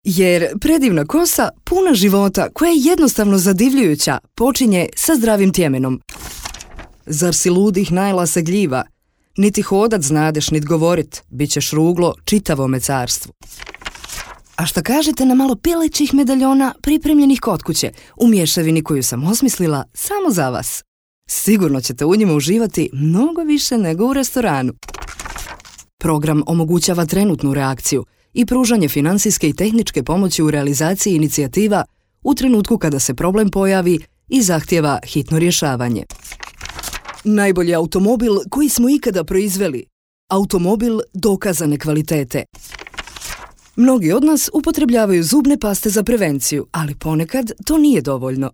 Jer predivna kosa, puna života, koja je jednostavno zadivljujuća, počinje sa zdravim tjemenom. Zar si ludih najla se gljiva? Niti hodat znadeš, nit govorit, bit ćeš ruglo čitavome carstvu. A šta kažete na malo pilećih medaljona pripremljenih kod kuće, u mješavini koju sam osmislila samo za vas? Sigurno ćete u njima uživati mnogo više nego u restoranu. Program omogućava trenutnu reakciju i pružanje financijske i tehničke pomoći u realizaciji inicijativa u trenutku kada se problem pojavi i zahtijeva hitno rješavanje. Najbolji automobil koji smo ikada proizveli. Automobil dokazane kvalitete. Mnogi od nas upotrebljavaju zubne paste za prevenciju, ali ponekad to nije dovoljno.